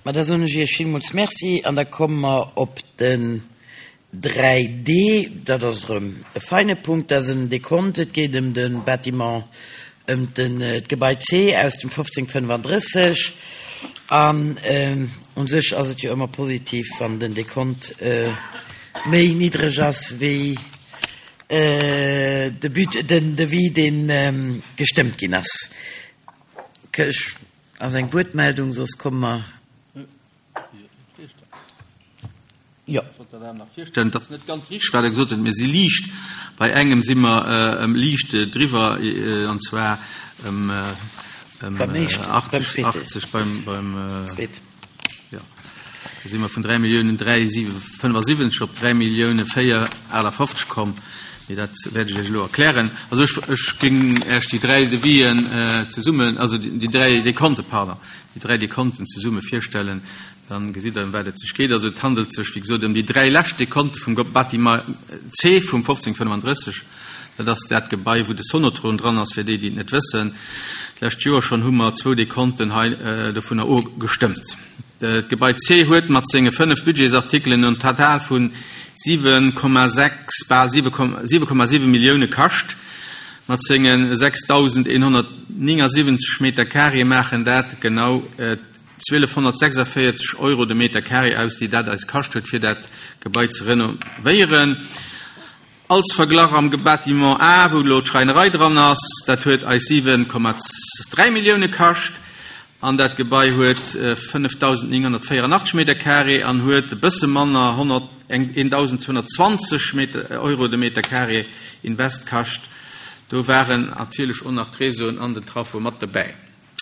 Ma da soen ech Iech villmools Merci an da komme mer op den 3D. Dat ass erëm e feine Punkt. Dat ass en Dekont. Et geet ëm de Bâtiment, ëm d'Gebai C aus dem 1535. An u sech ass et jo ëmmer positiv, wann den Dekont méi niddreg ass wéi de But, den Devis, dee gestëmmt ginn ass. Ech Ass eng Wuertmeldung, soss komme mer. Jo. Ech wollt der Dame nach virstellen, et ass net ganz richteg, wat Der gesot hutt, mir si liicht, bei engem si mer ëm liicht driwwer, an zwar ëm 80, 80 beim, beim, jo, do si mer vun 3 Milliounen 375 op 3 Milliounen 458 komm. Mee dat wäert ech Iech elo erklären. Also ech, ech géing Iech déi dräi Devisen zesummen, also déi dräi Dekonte, pardon, déi dräi Dekonten zesumme virstellen, dann gesitt Der, ëm wat et sech geet. Also et handelt sech, wéi gesot, ëm déi dräi lescht Dekonte vum Bâtiment C vum 1535. Dat ass dat Gebai, wou de Sonotron dran ass, fir déi, déi et net wëssen. D'lescht Joer schonn hu mer zwou Dekonten hei dovunner ofgestëmmt. D'Gebai C huet mat senge 5 Budgetsartikelen en Total vu 7,6, bal 7,7 Millioune kascht. Mat senge 6.179 Meter carré maachen dat genau 1.246 Euro de Meter carré aus, déi dat eis kascht huet, fir dat Gebai ze renovéieren. Als Verglach, am Bâtiment A, wou elo d'Schräinerei dran ass, dat huet eis 7,3 Millioune kascht an dat Gebai huet 5.984 Meter carré an huet e bësse manner, 1.220 Meter, Euro de Meter carré Invest kascht. Do waren natierlech och nach d'Réseauen an den Traffo mat dobäi.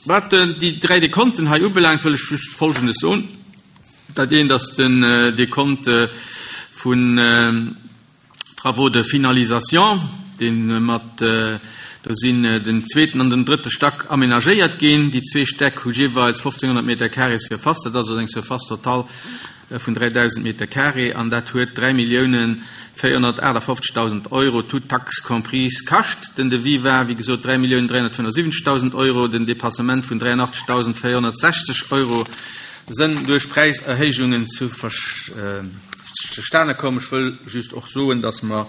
Wat déi dräi Dekonten hei ubelaangt, wëll ech just Folgendes soen. Dat eent ass den Dekont vun Travaux de finalisation, dee mat, do sinn den zweeten an den drëtte Stack amenagéiert ginn. Déi zwee Stäck hu jeeweils 1.500 Meter carré Surface, dat ass also eng Surface totale vun 3.000 Meter carré an dat huet 3.458.000 Euro toutes taxes comprises kascht. Den Devis war, wéi gesot, 3.375.000 Euro. Den Dépassement vun 83.460 Euro sënn duerch Präiserhéijungen zustane komm. Ech wëll just och soen, dass mer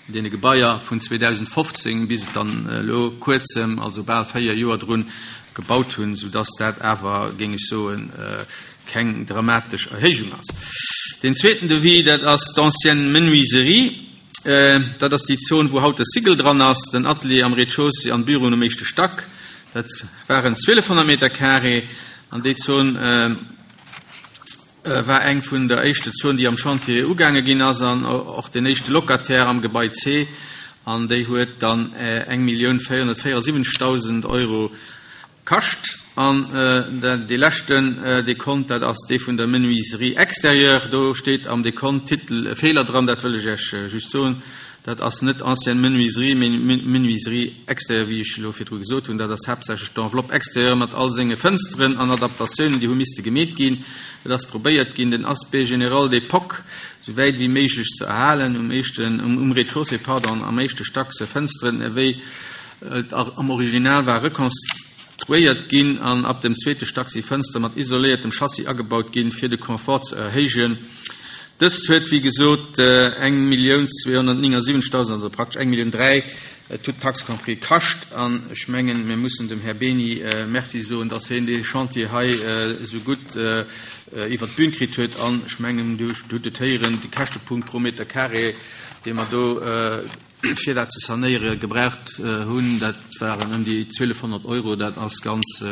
un deene Gebaier vun 2015 bis et dann elo kuerzem, also bal véier Joer drun, gebaut hunn, soudass dat awer, géing ech soen, keng dramatesch Erhéijung ass. Deen zweeten Devis, dat ass d'ancienne Menuiserie. Dat ass déi Zon, wou haut de Sigel dran ass, den Atelier am Rez-de-chaussée an d'Büroen um éischte Stack. Dat waren 1.200 Meter carré an déi Zon war eng vun der éischte Zon, déi am Chantier ugaange ginn ass an och den éischte Locataire am Gebai C. An déi huet dann 1.474.000 Euro Kascht. An dee leschten Dekont, dat ass dee vun der Menuiserie extérieure. Do steet am Dekont-Titel e Feeler dran, dat wëll ech Iech just soen. Dat ass net ancienne menuiserie, mee menuiserie extérieure, wéi ech elo virdru gesot hunn. Dat ass haaptsächlech d'Enveloppe extérieure mat all senge Fënsteren an Adaptatiounen, déi hu misste gemeet ginn. Et ass probéiert ginn, den Aspect général d'époque esou wäit wéi méiglech ze erhalen, um éischten, um Rez-de-chaussée, pardon, am éischte Stack se Fënsteren ewéi Et am Original war rekonstruéiert ginn an ab dem zweete Stack si Fënster mat isoléiertem Chassis agebaut ginn, fir de Confort ze erhéijen. Dëst huet wéi gesot 1.279.000, also praktesch eng Millioun 3, toutes taxes compris, kascht. An ech mengen, mir mussen dem Här Beni Merci soen, dass hien dee Chantier hei esou gutt iwwert d'Bün kritt huet. An ech mengen, Dir hutt et héieren, de Käschtepunkt pro Meter carré, dee mer do, fir dat ze sanéiere gebraucht hunn, dat waren ëm déi 1.200 Euro. Dat ass ganz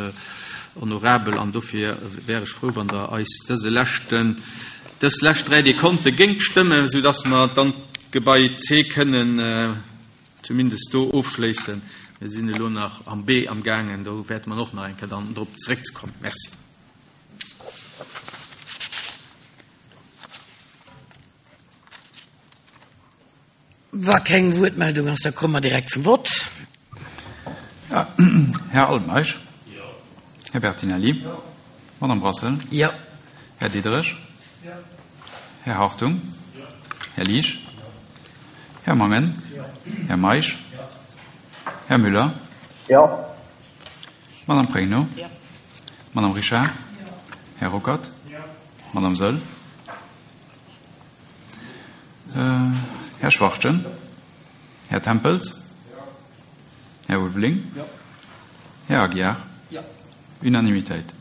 honorabel an dofir wär ech frou, wann Der eis dëse leschten, dës lescht dräi Dekonte géingt stëmmen, soudass mer dann d'Gebai C kënnen zumindest do ofschléissen. Mir sinn elo nach am B amgaangen, do wäerte mer och nach eng Kéier dann drop zeréckzekommen. Merci. Wa keng Wuertmeldung ass, da komme mer direkt zum Vott. Här Altmeisch. Här Bertinelli. Madame Brassel. Jo. Här Diderich. Här Hartung. Här Liesch. Här Mangen. Här Meisch. Här Müller. Jo. Madame Pregno. Madame Richard. Här Ruckert. Madame Saeul. Här Schwachtgen. Här Tempels. Här Ulveling. Här Aguiar. Unanimitéit.